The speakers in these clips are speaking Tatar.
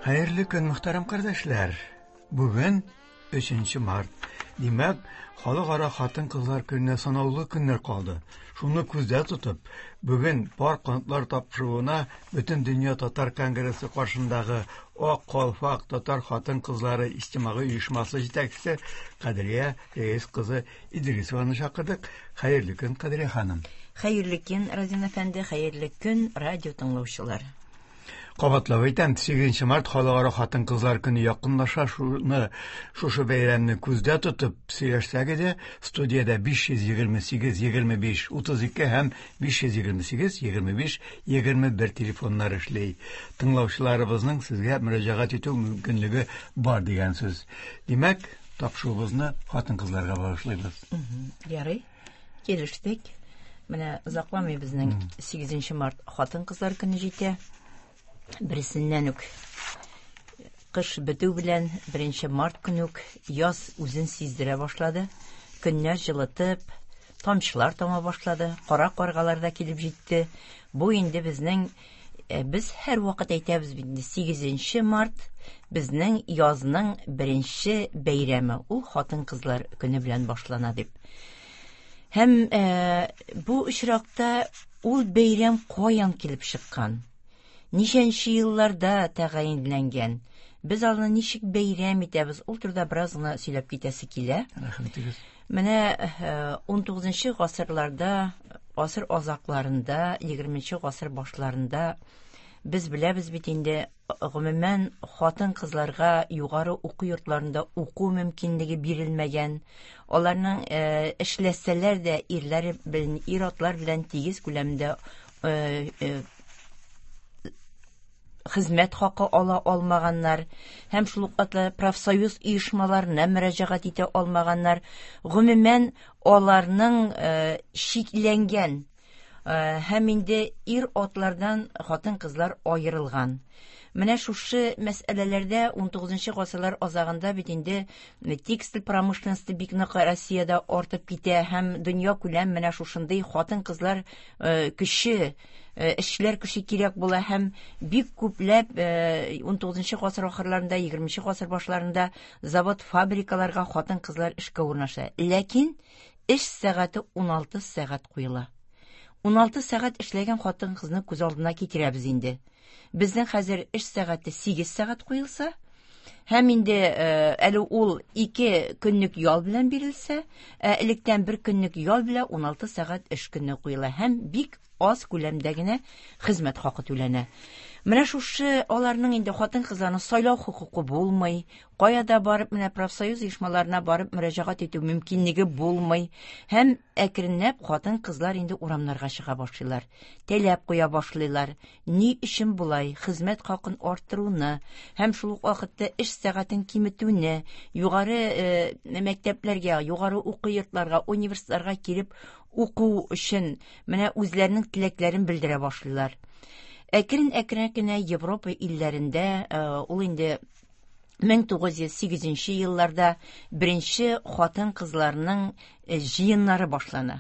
Хәерле көн, мөхтәрәм кардәшләр! Бүген 3 март. Димәк, Халыкара хатын-кызлар көненә санаулы көннәр калды. Шуны күздә тотып, бүген Пар канатлар тапшыруына Бөтендөнья татар конгрессы каршындагы Ак калфак татар хатын-кызлары иҗтимагый оешмасы җитәкчесе Кадрия Рәис кызы Идрисованы чакырдык. Хәерле көн, Кадрия ханым. Хәерле көн, Разин әфәнде, хәерле көн, радио тыңлаучылар. Кабатлап әйтәм, 8 март Халыкара хатын-кызлар көне якынлаша. Шуны, шушы бәйрәмне күздә тотып сөйләшсәк иде, студиядә 528 25 32 һәм 528 25 21 телефоннар эшли. Тыңлаучыларыбызның сезгә мөрәҗәгать итү мөмкинлеге бар дигән сүз. Димәк, тапшыруыбызны хатын-кызларга багышлыйбыз. Ярый. Килештек. Менә озакламый безнең 8 март хатын-кызлар көне җитә. Берсеннән үк кыш бетү белән 1 март көне үк яз үзен сиздерә башлады. Көннәр җылытып, тамчылар тама башлады, кара каргалар да килеп җитте. Бу инде безнең э, без һәрвакыт әйтәбез бит инде 8 март безнең язның беренче бәйрәме. Ул хатын-кызлар көне белән башлана дип. Һәм э, бу очракта ул бәйрәм каян килеп чыккан? Ничәнче елларда тәгаенләнгән? Без аны ничек бәйрәм итәбез? Ул турыда бераз гына сөйләп китәсе килә. Рәхмәтегез. Менә 19 э, гасырларда, гасыр азакларында, 20 гасыр башларында без беләбез бит инде Гомумән, хатын-кызларга югары уку йортларында уку мөмкинлеге бирелмәгән. Аларның э, эшләсәләр дә ирләре белән, ир-атлар белән тигез күләмдә э, э, хезмәт хакы ала алмаганнар һәм шул ук вакытта профсоюз оешмаларына мөрәҗәгать итә алмаганнар. Гомумән, аларның чикләнгән Э, һәм инде ир-атлардан хатын-кызлар аерылган. Менә шушы мәсьәләләрдә 19 гасырлар азагында бит инде текстиль промышленности бик нык Россиядә артып китә һәм дөнья күләм менә шушындый хатын-кызлар э, көче, э, эшчеләр көче кирәк була һәм бик күпләп 19 гасыр ахырларында, 20 гасыр башларында завод, фабрикаларга хатын-кызлар эшкә урнаша. Ләкин Эш сәгате 16 сәгать куела. 16 сәгать эшләгән хатын-кызны күз алдына китерәбез инде. Безнең хәзер эш сәгате 8 сәгать куелса, һәм инде э, әле ул 2 көнлек ял белән бирелсә, ә электән бер көнлек ял белән 16 сәгать эш көне куела һәм бик аз күләмдә генә хезмәт хакы түләнә. Менә шушы аларның инде хатын-кызларның сайлау хокукы булмый, кая да барып менә профсоюз оешмаларына барып мөрәҗәгать итү мөмкинлеге булмый һәм әкренләп хатын-кызлар инде урамнарга чыга башлыйлар, таләп куя башлыйлар. Ни өчен болай хезмәт хакын арттыруны һәм шул ук вакытта эш сәгатен киметүне, югары э, мәктәпләргә, югары уку йортларга, университетларга килеп уку өчен менә үзләренең теләкләрен белдерә башлыйлар. Әкрен-әкрен генә Европа илләрендә э, ул инде 1908 елларда беренче хатын-кызларның э, җыеннары башлана.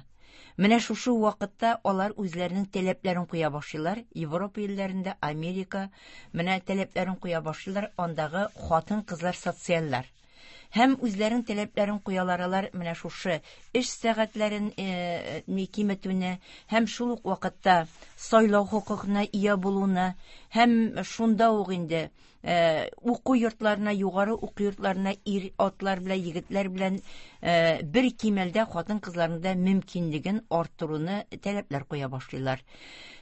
Менә шушы вакытта алар үзләренең таләпләрен куя башлыйлар. Европа илләрендә, Америка менә таләпләрен куя башлыйлар. Андагы хатын-кызлар социальләр. Һәм үзләренең таләпләрен куялар алар менә шушы эш сәгатьләрен э, киметүне һәм шул ук вакытта сайлау хокукына ия булуны һәм шунда ук инде э, уку йортларына, югары уку йортларына ир атлар белән, егетләр белән э, бер кимәлдә хатын-кызларның да мөмкинлеген арттыруны таләпләр куя башлыйлар.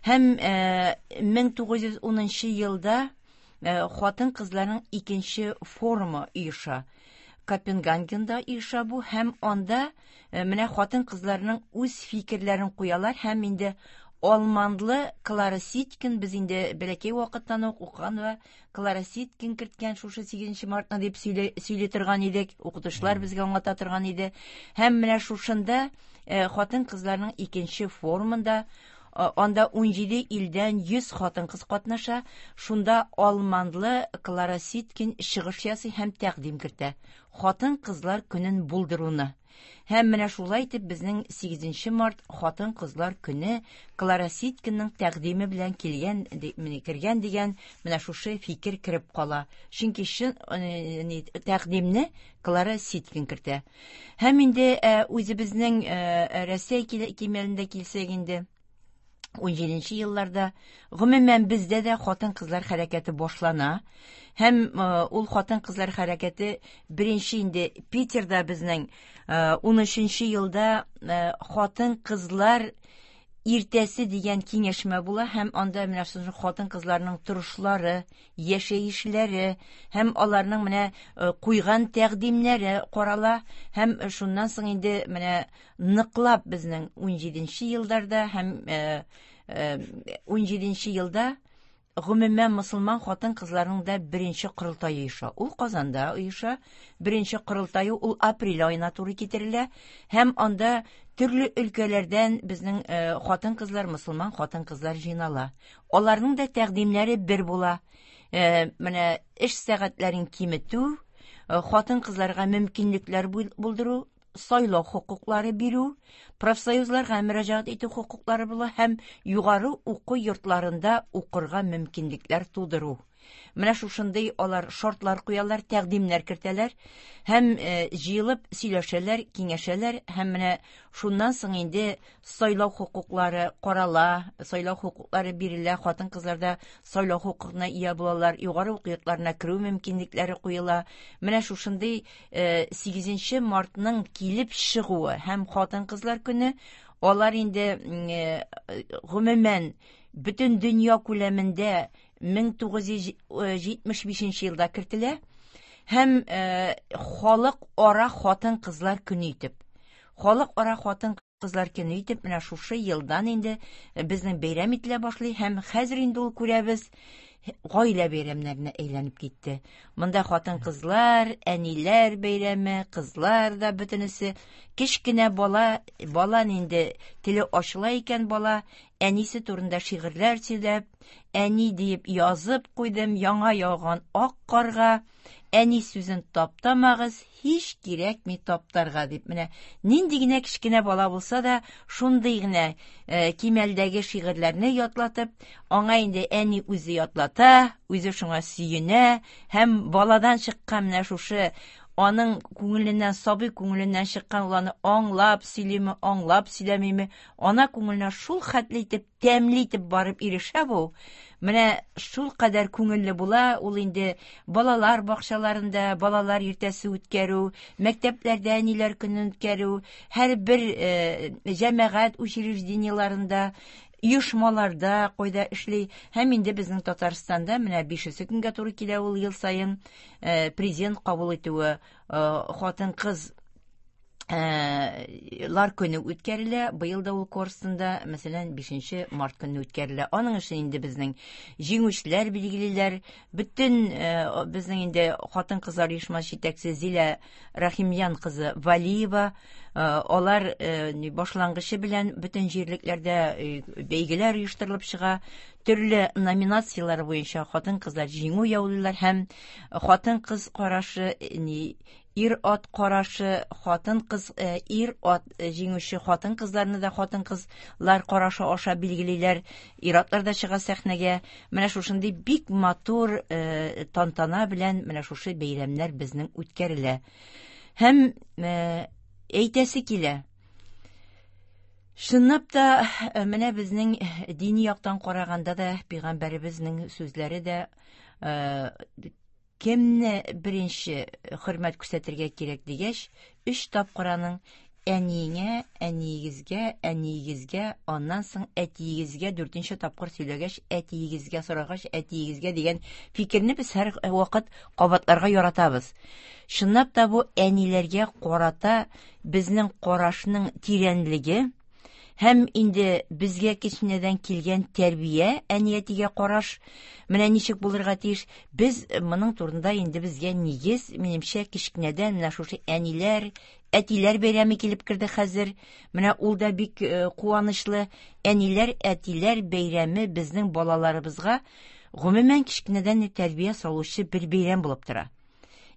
Һәм 1910 елда Э, хатын-кызларның икенче форумы оеша. Копенгагенда оеша бу һәм анда э, менә хатын-кызларның үз фикерләрен куялар һәм инде алманлы Клара Ситкин без инде бәләкәй вакыттан ук укыган вә Клара Ситкин керткән шушы 8 мартны дип сөйли, сөйли торган идек, укытучылар безгә аңлата торган иде. Һәм менә шушында э, хатын-кызларның икенче форумында Анда 17 илдән 100 хатын-кыз катнаша. Шунда алманлы Клара Ситкин чыгыш ясый һәм тәкъдим кертә. Хатын-кызлар көнен булдыруны. Һәм менә шулай итеп безнең 8 март хатын-кызлар көне Клара Ситкинның тәкъдиме белән килгән, кергән дигән менә шушы фикер кереп кала. Чөнки чын тәкъдимне Клара Ситкин кертә. Һәм инде үзебезнең Рәсәй кимәлендә килсәк инде, 17 елларда гомумән бездә дә хатын-кызлар хәрәкәте башлана. Һәм ул хатын-кызлар хәрәкәте беренче инде Питерда безнең 13 елда хатын-кызлар иртәсе дигән киңәшмә була һәм анда менә шушы хатын-кызларның торышлары, яшәешләре һәм аларның менә куйган тәкъдимнәре карала һәм шуннан соң инде менә ныклап безнең 17 елларда һәм 17 елда гомумән мөселман хатын-кызларының да беренче корылтае оеша. Ул Казанда оеша. Беренче корылтае ул апрель аена туры китерелә һәм анда төрле өлкәләрдән безнең хатын-кызлар, мөселман хатын-кызлар җыйнала. Аларның да тәкъдимнәре бер була. Менә эш сәгатьләрен киметү, хатын-кызларга мөмкинлекләр булдыру, сайлау хокуклары бирү, профсоюзларга мөрәҗәгать итү хокуклары була һәм югары уку йортларында укырга мөмкинлекләр тудыру. Менә шушындый алар шартлар куялар, тәкъдимнәр кертәләр һәм җыелып сөйләшәләр, киңәшәләр һәм менә шуннан соң инде сайлау хокуклары карала, сайлау хокуклары бирелә, хатын-кызлар да сайлау хокукына ия булалар, югары уку йортларына керү мөмкинлекләре куела. Менә шушындый 8 мартның килеп чыгуы һәм хатын-кызлар көне, алар инде гомумән бөтен дөнья күләмендә 1975 елда кертелә һәм халык-ара хатын-кызлар көне итеп. Халык-ара хатын-кызлар көне итеп менә шушы елдан инде безнең бәйрәм ителә башлый һәм хәзер инде ул күрәбез гаилә бәйрәмнәренә әйләнеп китте. Монда хатын-кызлар, әниләр бәйрәме, кызлар да бөтенесе. Кечкенә бала, бала инде теле ачыла икән бала, әнисе турында шигырьләр сөйләп, әни диеп язып куйдым яңа яуган ак карга, әни сүзен таптамагыз, һич кирәкми таптарга дип. Менә нинди генә кечкенә бала булса да, шундый гына кимәлдәге шигырьләрне ятлатып, аңа инде әни үзе ятлата, үзе шуңа сөенә һәм баладан чыккан менә шушы аның күңеленнән, сабый күңеленнән чыккан ул аны аңлап сөйлиме, аңлап сөйләмиме, ана күңеленә шул хәтле итеп, тәмле итеп барып ирешә бу. Менә шул кадәр күңелле була, ул инде балалар бакчаларында балалар иртәсе үткәрү, мәктәпләрдә әниләр көнен үткәрү, һәрбер җәмәгать учреждениеларында, оешмаларда кайда эшли. Һәм инде безнең Татарстанда менә 5 көнгә туры килә ул ел саен президент кабул итүе, хатын-кыз лар көне үткәрелә. Быел да ул Корстонда, мәсәлән, 5 март көнне үткәрелә. Аның өчен инде безнең җиңүчеләр билгелиләр. Бөтен безнең инде хатын-кызлар оешмасы җитәкчесе Зилә Рахимьян кызы Валиева, алар башлангычы белән бөтен җирлекләрдә бәйгеләр оештырылып чыга. Төрле номинацияләр буенча хатын-кызлар җиңү яулыйлар һәм хатын-кыз карашы, ир-ат карашы, хатын-кыз, ир-ат җиңүче хатын-кызларны да хатын-кызлар карашы аша билгелиләр. Ир-атлар да чыга сәхнәгә. Менә шушындый бик матур тантана белән менә шушы бәйрәмнәр безнең үткәрелә. Һәм әйтәсе килә, чынлап та менә безнең дини яктан караганда да пәйгамбәребезнең сүзләре дә кемне беренче хөрмәт күрсәтергә кирәк дигәч, 3 тапкыр аның әниеңә, әниегезгә, әниегезгә, аннан соң әтиегезгә, 4 тапкыр сөйләгәч, әтиегезгә сорагач, әтиегезгә дигән фикерне без һәр вакыт кабатларга яратабыз. Чынлап та бу әниләргә карата безнең карашның тирәнлеге һәм инде безгә кечкенәдән килгән тәрбия, әни-әтигә караш менә ничек булырга тиеш. Без моның турында инде безгә нигез, минемчә, кечкенәдән менә шушы әниләр, әтиләр бәйрәме килеп керде хәзер. Менә ул да бик куанычлы. Әниләр, әтиләр бәйрәме безнең балаларыбызга гомумән кечкенәдән тәрбия салучы бер бәйрәм булып тора.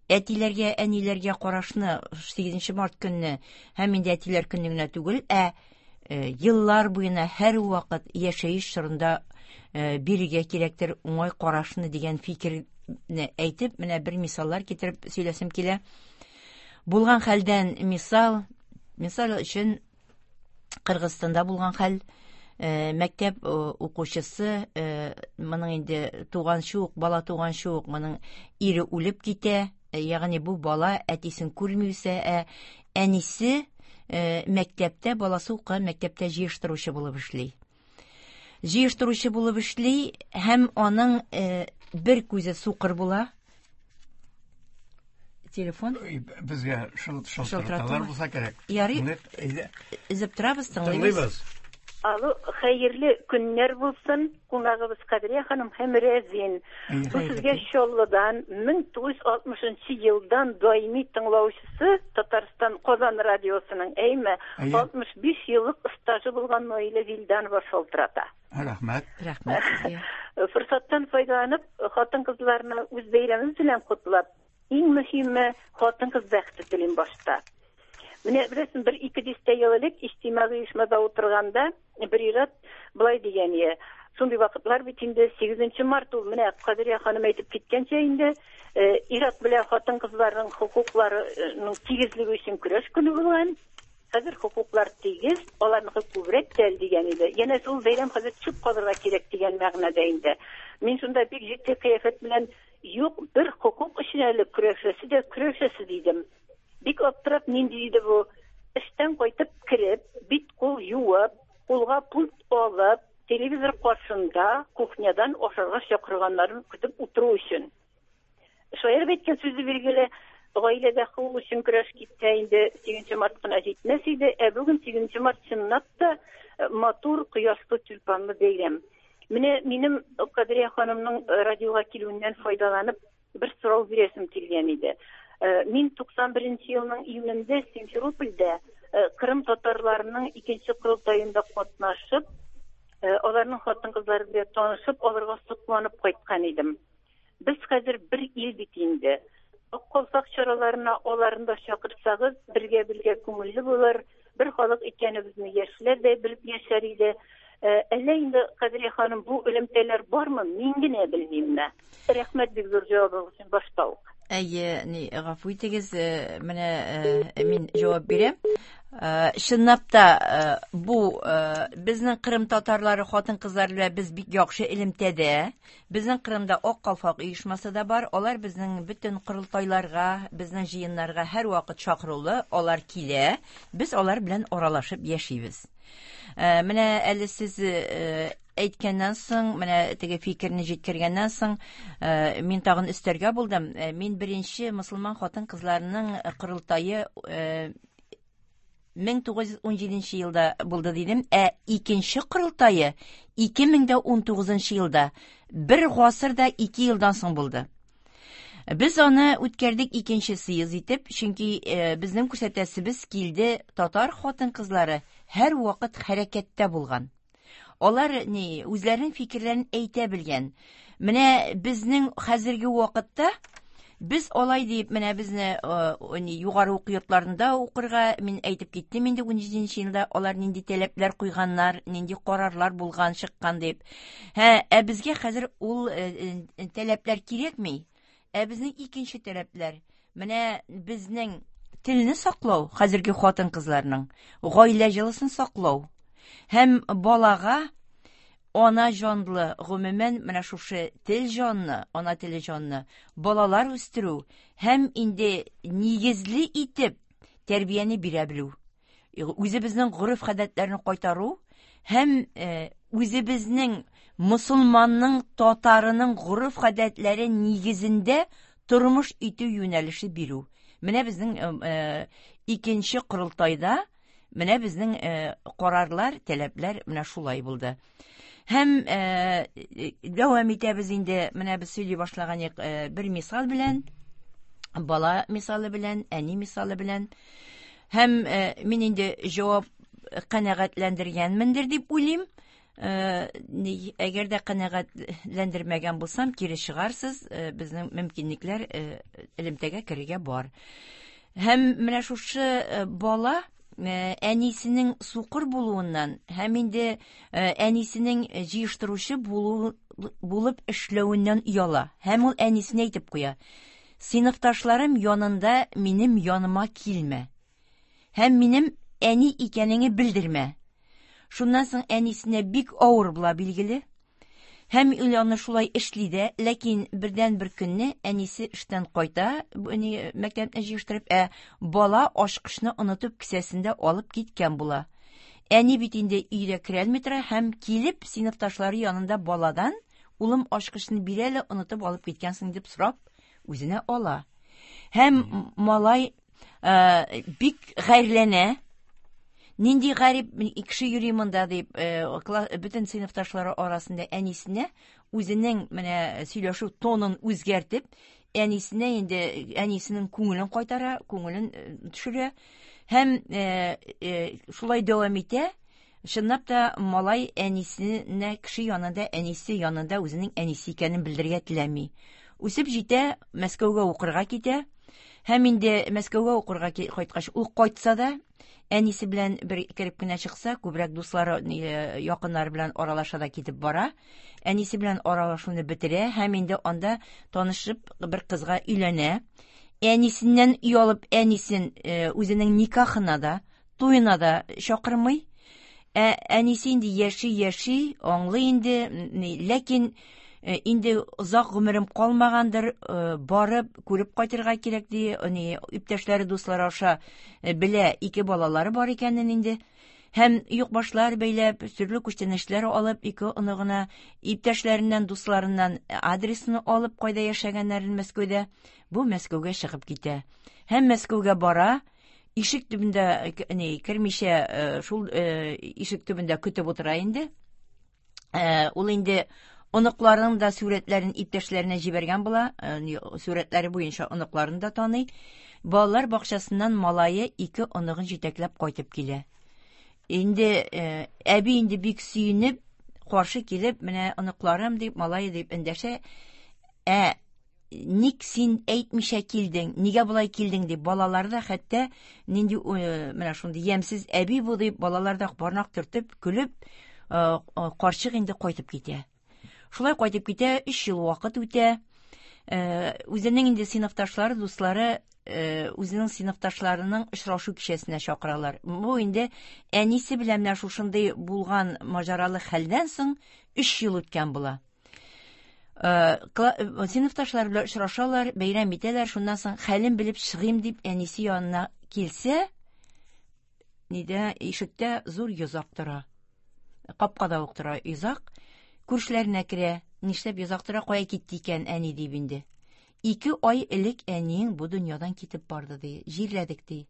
Әтиләргә, әниләргә карашны 8 март көнне һәм инде әтиләр көне генә түгел, ә еллар буена һәрвакыт яшәеш чорында бирергә кирәктер уңай карашны дигән фикерне әйтеп, менә бер мисаллар китереп сөйләсем килә. Булган хәлдән мисал, мисал өчен Кыргызстанда булган хәл, мәктәп укучысы, моның инде туганчы ук, бала туганчы ук моның ире үлеп китә, ягъни бу бала әтисен күрми үсә, ә әнисе мәктәптә, баласы укыган мәктәптә җыештыручы булып эшли. Җыештыручы булып эшли һәм аның бер күзе сукыр була. Телефон. Безгә шалтыраталар булса кирәк. Ярый. Өзеп торабыз, тыңлыйбыз. Алло, хәерле көннәр булсын. Кунагыбыз Кадрия ханым һәм Рәзин. Бу сезгә Чаллыдан 1960 елдан даими тыңлаучысы Татарстан Казан радиосының, әйме, 65 еллык стажы булган Наилә Вилданова шалтырата. Рәхмәт. Рәхмәт сезгә. Форсаттан файдаланып, хатын-кызларны үз бәйрәмебез белән котлап, иң мөһиме хатын-кыз бәхете телим башта. Менә беләсең, бер ике дистә ел элек иҗтимагый оешмада утырганда бер ир-ат былай дигән иде. Шундый вакытлар бит инде 8 март ул менә Кадрия ханым әйтеп киткәнчә инде ир-ат белән хатын-кызларның хокукларының тигезлеге өчен көрәш көне булган. Хәзер хокуклар тигез, аларныкы күбрәк тә әле дигән иде. Янәсе ул бәйрәм хәзер төшеп калырга кирәк дигән мәгънәдә инде. Мин шунда бик җитди кыяфәт белән юк, бер хокук өчен әле көрәшәсе дә көрәшәсе дидем. Бик аптырап, нинди иде бу? Эштән кайтып кереп, бит-кул юып, кулга пульт алып, телевизор каршында кухнядан ашарга чакырганнарын көтеп утыру өчен. Шаярып әйткән сүзе билгеле, гаиләдә хокук өчен көрәш китсә инде 8 март кына җитмәс иде, ә бүген 8 март чынлап та матур, кояшлы, тюльпанлы бәйрәм. Менә минем Кадрия ханымның радиога килүеннән файдаланып бер сорау бирәсем килгән иде. Мин 91 елның июнендә Симферопольдә Кырым татарларының икенче корылтаенда катнашып, аларның хатын-кызлары белән танышып, аларга сокланып кайткан идем. Без хәзер бер ил бит инде. Ак калфак чараларына аларны да чакырсагыз, бергә-бергә күңелле булыр, бер халык икәнебезне яшьләр дә белеп яшәр иде. Әллә инде, Кадрия ханым, бу элемтәләр бармы, мин генә белмимме? Рәхмәт бик зур җавабыгыз өчен башта ук. Әйе, ни, гафу итегез, менә мин җавап бирәм. Чынлап та бу безнең Кырым татарлары хатын-кызлар белән без бик яхшы элемтәдә. Безнең Кырымда Ак калфак оешмасы да бар. Алар безнең бөтен корылтайларга, безнең җыеннарга һәрвакыт чакырулы, алар килә. Без алар белән аралашып яшибез. Менә әле сез әйткәннән соң, менә теге фикерне җиткергәннән соң, мин тагын өстәргә булдым. Мин беренче мусульман хатын-кызларының корылтае 1917 елда булды дидем, ә икенче корылтае 2019 елда, бер гасырда 2 елдан соң булды. Без аны үткәрдек икенче съезд итеп, чөнки безнең күрсәтәсебез килде, татар хатын-кызлары һәр вакыт хәрәкәттә булган. Алар ни, үзләренең фикерләрен әйтә белгән. Менә безнең хәзерге вакытта без алай дип, менә безне ни, югары уку йортларында укырга, мин әйтеп киттем инде 17 елда алар нинди таләпләр куйганнар, нинди карарлар булган, чыккан дип. Һә, ә безгә хәзер ул таләпләр кирәкми. Ә безнең икенче таләпләр. Менә безнең телне саклау, хәзерге хатын-кызларның гаилә җылысын саклау һәм балага ана җанлы, гомумән менә шушы тел җанны, ана теле җанны балалар үстерү һәм инде нигезле итеп тәрбияне бирә белү. Үзебезнең гореф-гадәтләрне кайтару һәм үзебезнең мусульманның, татарының гореф-гадәтләре нигезендә тормыш итү юнәлеше бирү. Менә безнең икенче корылтайда менә безнең карарлар, таләпләр менә шулай булды. Һәм дәвам итәбез инде, менә без сөйли башлаган бер мисал белән, бала мисалы белән, әни мисалы белән. Һәм мин инде җавап канәгатьләндергәнмендер дип уйлыйм. Әгәр дә канәгатьләндермәгән булсам, кире чыгарсыз, безнең мөмкинлекләр элемтәгә керергә бар. Һәм менә шушы бала әнисенең сукыр булуыннан һәм инде әнисенең җыештыручы булып эшләвеннән ояла. Һәм ул әнисенә әйтеп куя: "Сыйныфташларым янында минем яныма килмә. Һәм минем әни икәнеңне белдермә." Шуннан соң әнисенә бик авыр була, билгеле. Һәм ул аны шулай эшли дә, ләкин бердән бер көнне әнисе эштән кайта, мәктәпне җыештырып, ә бала ачкычны онытып кесәсендә алып киткән була. Әни бит инде өйдә керәлми тора һәм килеп сыйныфташлары янында баладан: "Улым, ачкычны бир әле, онытып алып киткәнсең", дип сорап, үзенә ала. Һәм малай бик гарьләнә. Нинди гарип кеше йөри монда дип, бөтен сыйныфташлары арасында әнисенә үзенең менә сөйләшү тонын үзгәртеп, әнисенә инде әнисенең күңелен кайтара, күңелен төшерә һәм шулай дәвам итә. Чынлап та малай әнисенә кеше янында, әнисе янында үзенең әнисе икәнен белдерергә теләми. Үсеп җитә, Мәскәүгә укырга китә. Һәм инде Мәскәүгә укырга кайткач, ул кайтса да, әнисе белән бер кереп кенә чыкса, күбрәк дуслары, якыннары белән аралаша да китеп бара. Әнисе белән аралашуны бетерә һәм инде анда танышып бер кызга өйләнә. Әнисеннән оялып, әнисен үзенең никахына да, туена да чакырмый. Ә әнисе инде яши-яши, аңлый инде, ләкин инде озак гомерем калмагандыр, барып күреп кайтырга кирәк ди, иптәшләре, дуслары аша белә, ике балалары бар икәнен инде. Һәм юкбашлар бәйләп, төрле күчтәнәчләр алып, ике оныгына, иптәшләреннән, дусларыннан адресны алып, кайда яшәгәннәрен Мәскәүдә, бу Мәскәүгә чыгып китә. Һәм Мәскәүгә бара, ишек төбендә кермичә, шул ишек төбендә көтеп утыра инде. Ул инде оныкларының да сүрәтләрен иптәшләренә җибәргән була, сүрәтләре буенча оныкларын да таный. Балалар бакчасыннан малае ике оныгын җитәкләп кайтып килә. Инде әби инде бик сөенеп, каршы килеп, менә оныкларым дип, малае дип эндәшә. Ә ник син әйтмичә килдең, нигә болай килдең дип, балалар да хәтта нинди менә шундый ямьсез әби бу дип, балалар да бармак төртеп, көлеп, карчык инде кайтып китә. Шулай кайтып китә, 3 ел вакыт үтә. Үзенең инде сыйныфташлары, дуслары үзенең сыйныфташларының очрашу кичәсенә чакыралар. Бу инде әнисе белән менә шушындый булган маҗаралы хәлдән соң 3 ел үткән була. Сыйныфташлар белән очрашалар, бәйрәм итәләр, шуннан соң хәлен белеп чыгыйм дип әнисе янына килсә, нидә ишектә зур йозак тора. Капкада ук тора йозак. Күршеләренә керә. Нишләп йозак тора, кая китте икән әни дип инде. 2 ай элек әниең бу дөньядан китеп барды ди, җирләдек ди.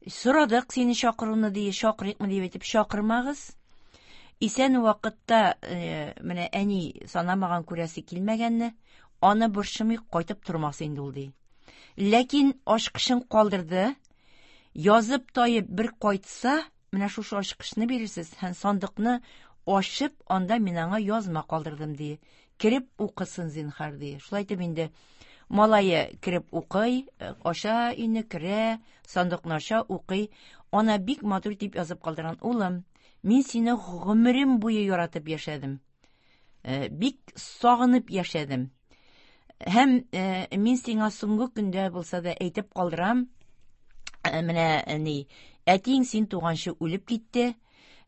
Сорадык сине чакыруны ди, чакырыйкмы дип әйтеп, чакырмагыз. Исән вакытта менә әни санамаган, күрәсе килмәгәнне, аны борчымый кайтып тормас инде ул ди. Ләкин ачкычын калдырды. Язып таеп бер кайтса, менә шушы ачкычны бирерсез һәм сандыкны ачып, анда мин аңа язма калдырдым ди. Кереп укысын зинһар ди. Шулай итеп инде малае кереп укый, ача өйне, керә, сандыкны ача, укый. Ана бик матур дип язып калдырган: "Улым, мин сине гомерем буе яратып яшәдем. Бик сагынып яшәдем. Һәм мин сиңа соңгы көндә булса да әйтеп калдырам, менә ни, әтиең син туганчы үлеп китте,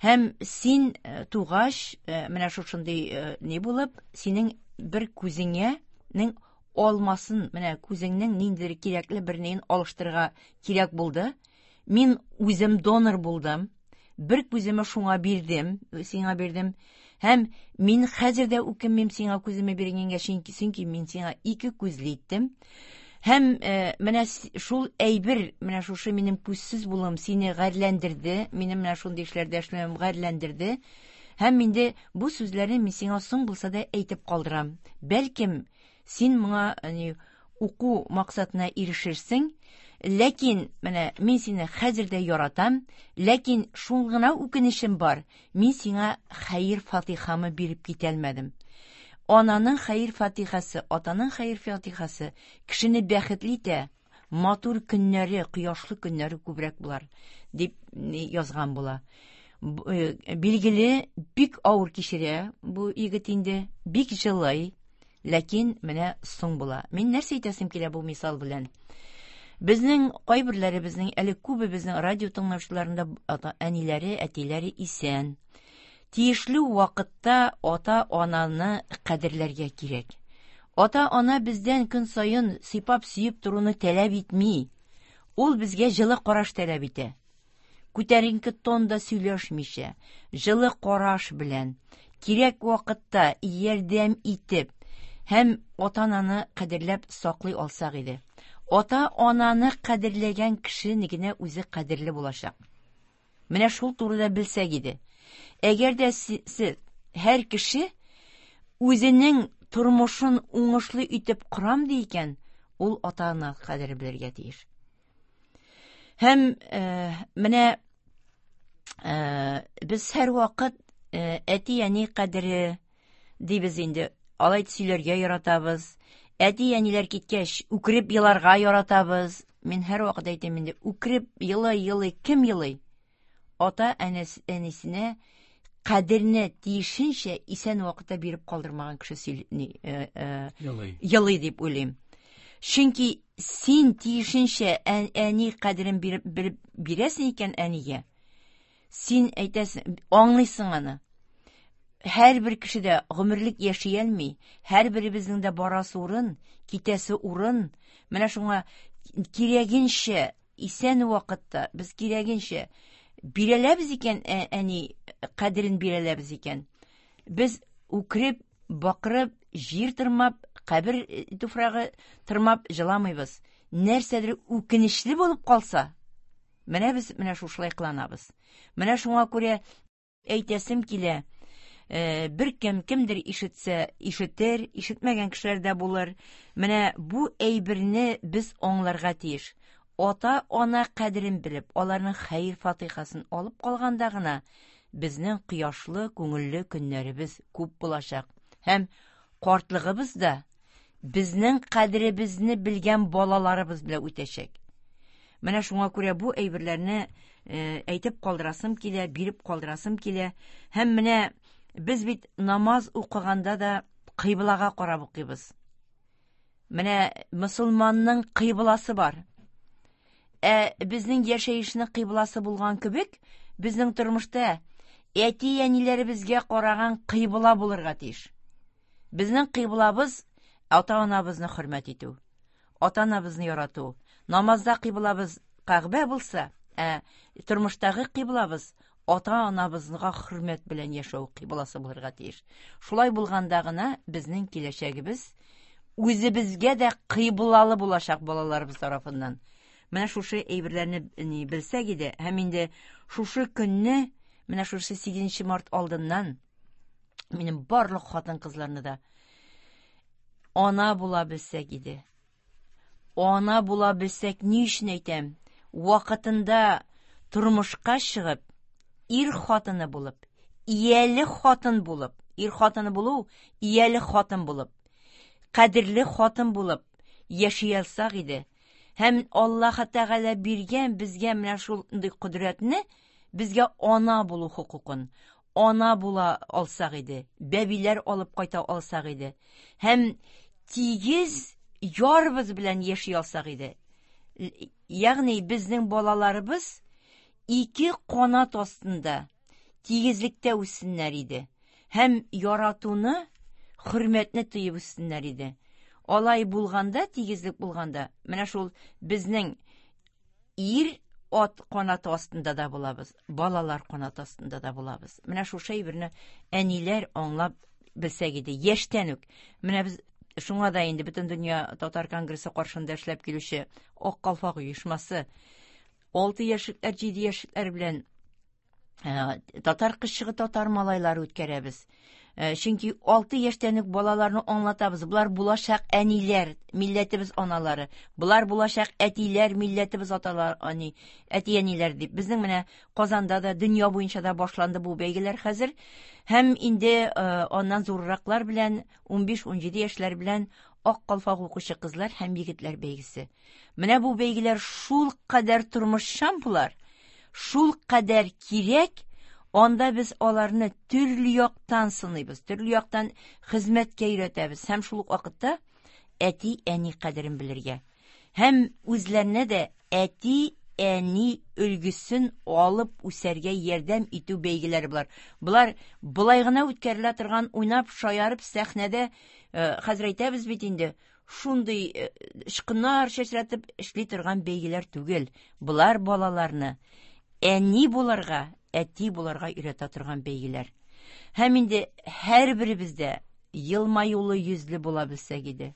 һәм син тугач, менә шушындый ни булып, синең бер күзеңнең алмасын, менә күзеңнең ниндидер кирәкле бер неен алыштырырга кирәк булды. Мин үзем донор булдым. Бер күземне шуңа бирдем, сиңа бирдем. Һәм мин хәзер дә үкенмим сиңа күземне биргәнгә, чөнки мин сиңа ике күзле иттем. Һәм менә шул әйбер, менә шушы минем күзсез булуым сине гарьләндерде, минем менә шундый эшләрдә эшләвем гарьләндерде. Һәм инде бу сүзләрне мин сиңа соң булса да әйтеп калдырам. Бәлкем, син моңа уку максатына ирешерсең. Ләкин менә мин сине хәзер дә яратам, ләкин шул гына үкенечем бар, мин сиңа хәер-фатихамы биреп китәлмәдем. Ананың хәер-фатихасы, атаның хәер-фатихасы кешене бәхетле итә, матур көннәре, кояшлы көннәре күбрәк булар, дип язган була. Билгеле, бик авыр кичерә бу егет инде, бик җылый, ләкин менә соң була. Мин нәрсә әйтәсем килә бу мисал белән? Безнең кайберләребезнең, әле күбебезнең радио тыңлаучыларында ата әниләре, әтиләре исән. Тиешле вакытта ата-ананы кадерләргә кирәк. Ата-ана бездән көн саен сыйпап-сөеп торуны таләп итми. Ул безгә җылы караш таләп итә. Күтәренке тонда сөйләшмичә, җылы караш белән, кирәк вакытта ярдәм итеп һәм ата-ананы кадерләп саклый алсак иде. Ата-ананы кадерләгән кеше генә үзе кадерле булачак. Менә шул турыда белсәк иде. Әгәр дә сез һәр кеше үзенең тормышын уңышлы итеп корам ди икән, ул ата-ана кадере белергә тиеш. Һәм менә без һәрвакыт әти-әни кадере дибез инде. Алай сөйләргә яратабыз. Әти-әниләр киткәч, үкереп еларга яратабыз. Мин һәрвакыт әйтәм инде, үкереп елый-елый кем елый? Ата әнисенә кадерне тиешенчә исән вакытта биреп калдырмаган кеше сөйли, елый. Елый дип уйлыйм. Чөнки син тиешенчә әни кадерен биреп, биреп бирәсең икән әнигә, син әйтәсең, аңлыйсың аны. Һәрбер кеше дә гомерлек яши алмый, һәрберебезнең дә барасы урын, китәсе урын. Менә шуңа кирәгенчә исән вакытта без кирәгенчә бирәләбез икән, әни кадерен бирәләбез икән. Без үкереп, бакырып, җир тырмап, кабер туфрагы тырмап җыламыйбыз. Нәрсәдер үкенечле булып калса, менә без менә шушылай кыланабыз. Менә шуңа күрә әйтәсем килә, бер кем кемдер ишетсә, ишетер, ишетмәгән кешеләр дә булыр. Менә бу әйберне без аңларга тиеш. Ата-ана кадерен белеп, аларның хәер-фатихасын алып калганда гына безнең кояшлы, күңелле көннәребез күп булачак. Һәм картлыгыбыз да безнең кадеребезне белгән балаларыбыз белән үтәчәк. Менә шуңа күрә бу әйберләрне әйтеп калдырасым килә, биреп калдырасым килә. Һәм менә без бит намаз укыганда да кыйблага карап укыйбыз. Менә мөселманның кыйбласы бар. Ә безнең яшәешнең кыйбласы булган кебек, безнең тормышта әти-әниләребезгә караган кыйбла булырга тиеш. Безнең кыйблабыз ата-анабызны хөрмәт итү, ата-анабызны ярату. Намазда кыйблабыз Кәгъбә булса, ә тормыштагы кыйблабыз ата-анабызга хөрмәт белән яшәү кыйбласы булырга тиеш. Шулай булганда гына безнең киләчәгебез үзебезгә дә кыйблалы булачак балаларыбыз тарафыннан. Менә шушы әйберләрне ни белсәк иде, һәм инде шушы көнне, менә шушы 8 март алдыннан минем барлык хатын-кызларны да ана була белсәк иде. Ана була белсәк, ни өчен әйтәм? Вакытында тормышка чыгып, ир хатыны булып, ияле хатын булып, ир хатыны булу, ияле хатын булып, кадерле хатын булып яши алсак иде. Һәм Аллаһ Тәгалә биргән безгә менә шундый кодрәтне, безгә ана булу хокукын, ана була алсак иде, бәбиләр алып кайта алсак иде. Һәм тигез ярбыз белән яши алсак иде. Ягъни безнең балаларыбыз ике канат астында тигезлектә үссеннәр иде. Һәм яратуны, хөрмәтне тоеп үссеннәр иде. Алай булганда, тигезлек булганда, менә шул безнең ир ат канаты астында да булабыз, балалар канаты астында да булабыз. Менә шушы әйберне әниләр аңлап белсәк иде, яшьтән үк. Менә без шуңа да инде бөтен дөнья татар конгрессы каршында эшләп килүче Ак калфак оешмасы 6 яшьлекләр, 7 яшьлекләр белән татар кызчыгы, татар малайлары үткәрәбез. Чөнки 6 яшьтән үк балаларны аңлатабыз. Болар булачак әниләр, милләтебез аналары. Болар булачак әтиләр, милләтебез аталар, ани, әти-әниләр дип. Безнең менә Казанда да, дөнья буенча да башланды бу бәйгеләр хәзер. Һәм инде аннан зурраклар белән, 15-17 яшьләр белән Ак калфак укучы кызлар һәм егетләр бәйгесе. Менә бу бәйгеләр шул кадәр тормышчан булар, шул кадәр кирәк, анда без аларны төрле яктан сыныйбыз, төрле яктан хезмәткә өйрәтәбез һәм шул ук вакытта әти-әни кадерен белергә. Һәм үзләренә дә әти-әни өлгесен алып үсәргә ярдәм итү бәйгеләре болар. Болар болай гына үткәрелә торган уйнап, шаярып сәхнәдә, хәзер әйтәбез бит инде, шундый очкыннар чәчрәтеп эшли торган бәйгеләр түгел. Болар балаларны әни булырга, әти булырга өйрәтә торган бәйгеләр. Һәм инде һәрберебез дә елмаюлы йөзле була белсәк иде.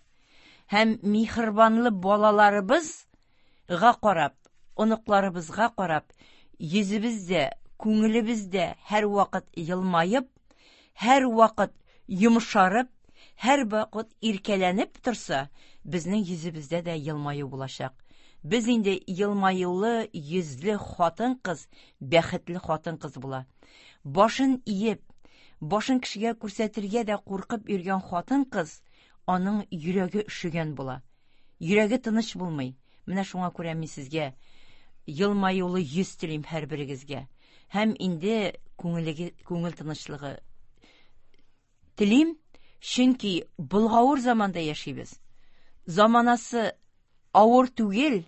Һәм миһербанлы балаларыбызга карап, оныкларыбызга карап, йөзебез дә, күңелебез дә һәрвакыт елмаеп, һәрвакыт йомшарып, һәрвакыт иркәләнеп торса, безнең йөзебездә дә елмаю булачак. Без инде елмаюлы йөзле хатын-кыз, бәхетле хатын-кыз була. Башын иеп, башын кешегә күрсәтергә дә куркып йөргән хатын-кыз, аның йөрәге өшегән була. Йөрәге тыныч булмый. Менә шуңа күрә мин сезгә елмаюлы йөз телим һәрберегезгә. Һәм инде күңелеге, күңел тынычлыгы телим, чөнки болгавыр заманда яшибез. Заманасы авыр түгел.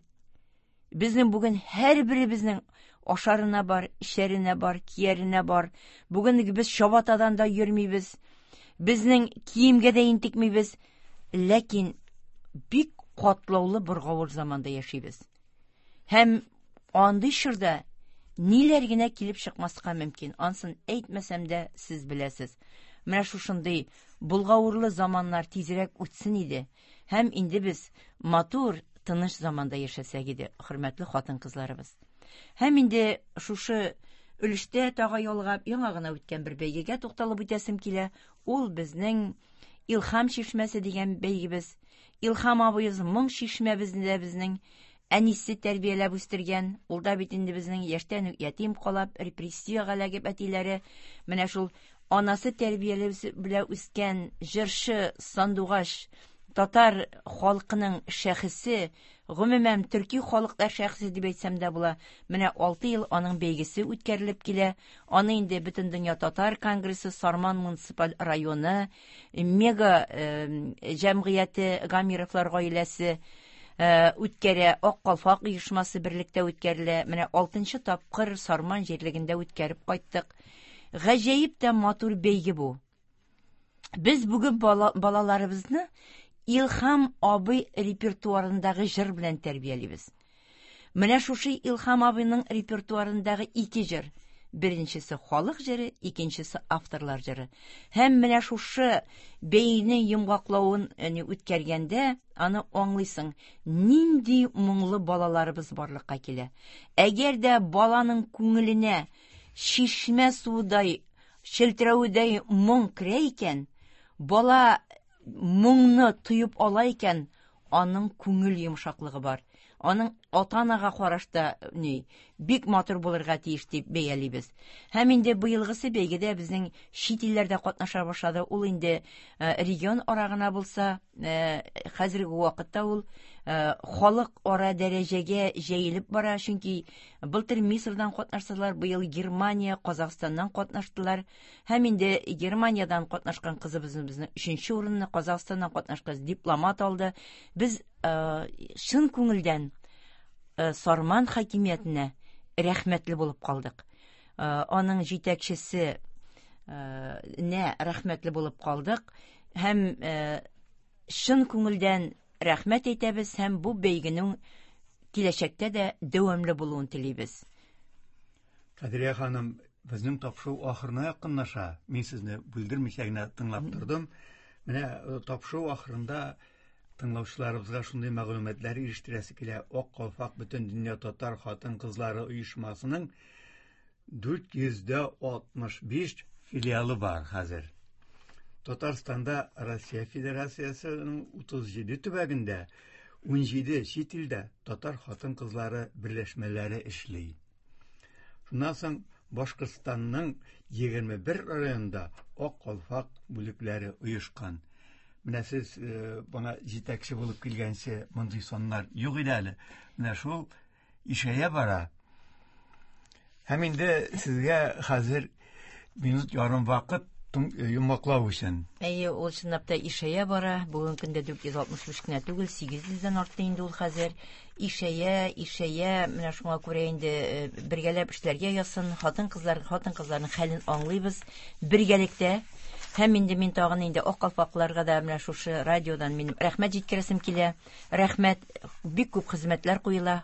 Безнең бүген һәрберебезнең ашарына бар, эчәренә бар, кияренә бар. Бүген без чабатадан да йөрмибез. Безнең киемгә дә интекмибез. Ләкин бик катлаулы боргавыр заманда яшибез. Һәм андый чорда ниләр генә килеп чыкмаска мөмкин. Ансын әйтмәсәм дә сез беләсез. Менә шушындый болгавырлы заманнар тизрәк үтсен иде. Һәм инде без матур, тыныч заманда яшәсәк иде, хөрмәтле хатын-кызларыбыз. Һәм инде шушы өлештә тагы ялгап, яңа гына үткән бер бәйгегә тукталып үтәсем килә. Ул безнең Илһам чишмәсе дигән бәйгебез. Илһам абыебыз моң чишмәбезне дә безнең әнисе тәрбияләп үстергән. Ул да бит инде безнең яшьтән үк ятим калап, репрессиягә эләгеп әтиләре. Менә шул анасы тәрбияләп белән үскән җырчы Сандугаш, татар халкының шәхесе, гомумән төрки халыклар шәхесе дип әйтсәм дә була. Менә 6 ел аның бәйгесе үткәрелеп килә. Аны инде Бөтендөнья татар конгрессы Сарман муниципаль районы, Мега җәмгыяте Гамировлар гаиләсе үткәрә, Ак калфак оешмасы берлектә үткәрелә. Менә 6 тапкыр Сарман җирлегендә үткәреп кайттык. Гаҗәеп тә матур бәйге бу. Без бүген балаларыбызны Илһам абый репертуарындагы җыр белән тәрбиялибез. Менә шушы Илһам абыйның репертуарындагы ике җыр. Беренчесе халык җыры, икенчесе авторлар җыры. Һәм менә шушы бәйгенең йомгаклавын үткәргәндә аны аңлыйсың, нинди моңлы балаларыбыз барлыкка килә. Әгәр дә баланың күңеленә чишмә суыдай, челтерәведәй моң керә икән, бала моңны тоеп ала икән, аның күңел йомшаклыгы бар. Аның ата-анага карашта ни, бик матур булырга тиеш дип бәялибез. Һәм инде быелгысы бәйгедә безнең чит илләрдә катнаша башлады. Ул инде регион ара гына булса, хәзерге вакытта ул халык ара дәрәҗәгә җәелеп бара, чөнки былтыр Мисырдан катнаштылар, быел Германия, Казахстаннан катнаштылар. Һәм инде Германиядән катнашкан кызыбызны безнең 3нче урынны, Казахстаннан катнашкан дипломат алды. Без чын күңелдән Сарман хакимиятенә рәхмәтле булып калдык. Аның җитәкчесе нә рәхмәтле булып калдык һәм чын күңелдән рәхмәт әйтәбез һәм бу бәйгенең киләчәктә дә дәвамлы булуын телибез. Кадрия ханым, безнең тапшыру ахырына якынлаша. Мин сезне бүлдермичә генә тыңлап тордым. Менә тапшыру ахырында тыңлаучыларыбызга шундый мәгълүматлар ирештерәсе килә. Ак калфак бөтен дөнья татар хатын-кызлары оешмасының 465 филиалы бар хәзер. Татарстанда Россия Федерациясенең 37 төбәгендә 17 чит илдә татар хатын-кызлары берләшмәләре эшли. Шуннан соң Башкортстанның 21 районында Ак калфак бүлекләре оешкан. Менә сез бана җитәкче булып килгәнче мондый саннар юк иде әле. Менә шул ишәя бара. Һәм инде сезгә хәзер минут ярым вакыт йомгаклау өчен. Әйе, ул чынлап та ишәя бара. Бүгенге көндә 465 кенә түгел, 800дән артты инде ул хәзер. Ишәя, ишәя. Менә шуңа күрә инде бергәләп эшләргә язсын. Хатын-кызлар, хатын-кызларның хәлен аңлыйбыз бергәлектә. Һәм инде мин тагын инде Ак калфакларга да менә шушы радиодан минем рәхмәт җиткерәсем килә. Рәхмәт, бик күп хезмәтләр куела.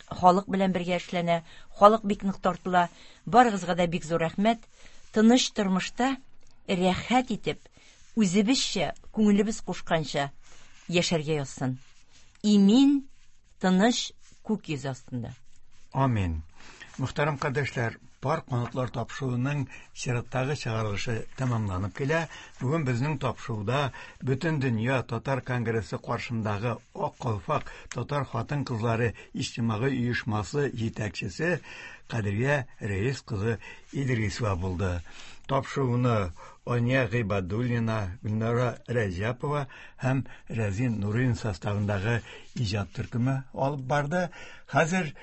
Халык белән бергә эшләнә, халык бик нык тартыла. Барыгызга да бик зур рәхмәт. Тыныч тормышта рәхәт итеп, үзебезчә, күңелебез кушканча яшәргә язсын. Имин, тыныч күк йөзе астында. Амин. Мөхтәрәм кардәшләр, пар канатлар тапшыруының чираттагы чыгарылышы тәмамланып килә. Бүген безнең тапшыруда Бөтен дөнья татар конгрессы каршындагы Ак калфак татар хатын-кызлары иҗтимагый оешмасы җитәкчесе Кадрия Рәис кызы Идрисова булды. Тапшыруны Ания Гыйбадуллина, Гөлнара Рәҗәпова һәм Рәзин Нурин составындагы иҗат төркеме алып барды. Хәзер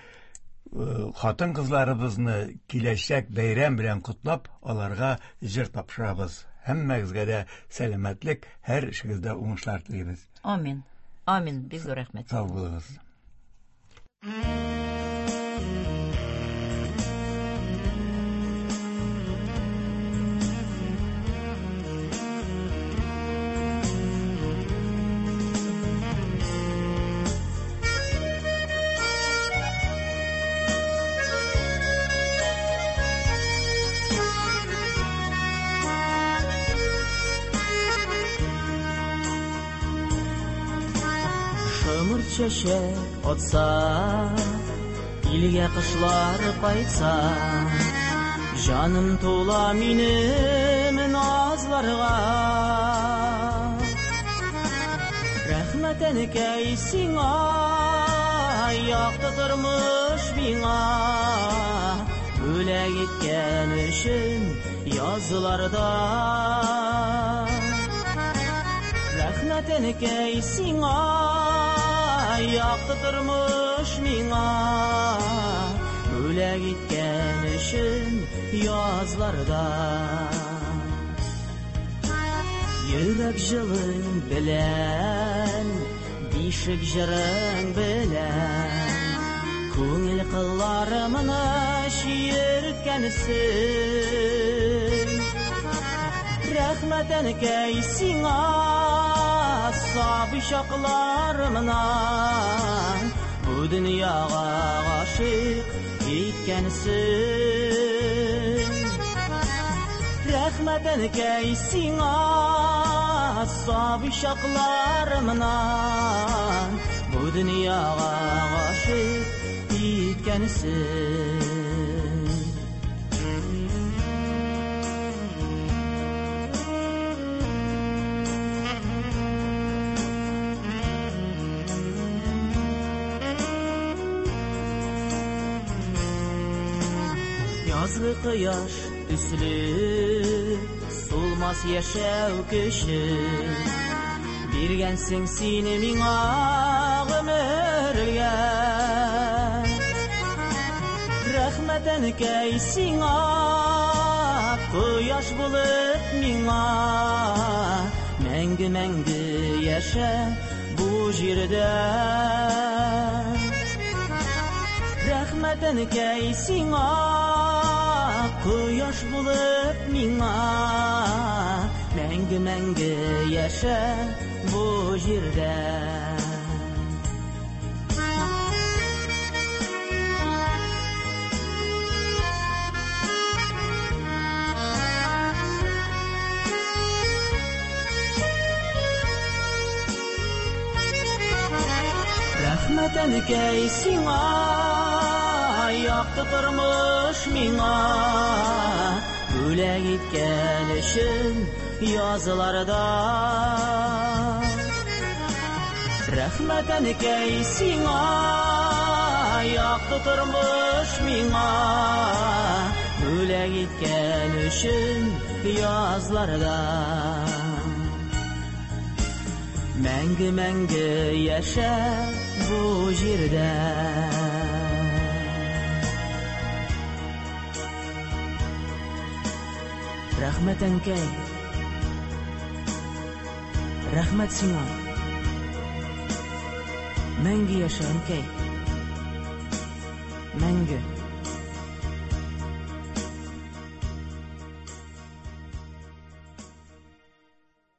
хатын-кызларыбызны киләчәк бәйрәм белән котлап, аларга җыр тапшырабыз. Һәммәгезгә дә сәламәтлек, һәр эшегездә уңышлар телибез. Амин. Амин. Бик зур рәхмәт. Сау булыгыз. Шомырт чәчәк атса, илгә кышлар кайтса, җаным тула минем назларга. Рәхмәт, әнкәй, сиңа, якты тормыш миңа бүләк иткән өчен язларда. Рәхмәт, әнкәй, сиңа, якты тормыш миңа бүләк иткән өчен язларда. Йөрәк җылың белән, бишек җырың белән, күңел кылларымны чиерткәнсең. Рәхмәт, әнкәй, сиңа, сабый чакларымнан бу дөньяга гашыйк иткәнсең. Рәхмәт, әнкәй, сиңа, сабый чакларымнан бу дөньяга гашыйк иткәнсең. Язгы кояш төсле сулмас яшәү көче биргәнсең син миңа гомергә. Рәхмәт, әнкәй, сиңа, кояш булып миңа мәңге-мәңге яшә бу җирдә. Рәхмәт, әнкәй, сиңа, кояш булып миңа мәңге-мәңге яшә бу җирдә. Рәхмәт, әнкәй, сиңа, якты тормыш миңа бүләк иткән өчен язларда. Рәхмәт, әнкәй, сиңа, якты тормыш миңа бүләк иткән өчен язларда. Мәңге-мәңге яшә бу җирдә. Рәхмәт, әнкәй. Рәхмәт сиңа. Мәңге яшә, әнкәй. Мәңге.